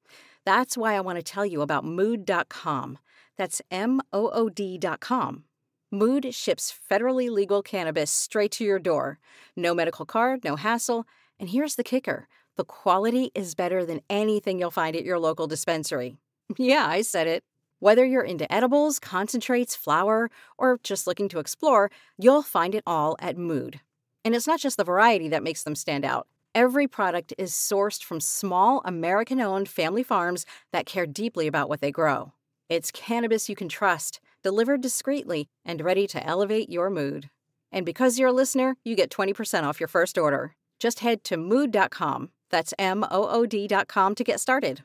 That's why I want to tell you about mood dot com. That's M O O D dot com. Mood ships federally legal cannabis straight to your door. No medical card, no hassle. And here's the kicker. The quality is better than anything you'll find at your local dispensary. Yeah, I said it. Whether you're into edibles, concentrates, flower, or just looking to explore, you'll find it all at Mood. And it's not just the variety that makes them stand out. Every product is sourced from small, American-owned family farms that care deeply about what they grow. It's cannabis you can trust, delivered discreetly, and ready to elevate your mood. And because you're a listener, you get twenty percent off your first order. Just head to mood dot com. That's M O O D dot com to get started.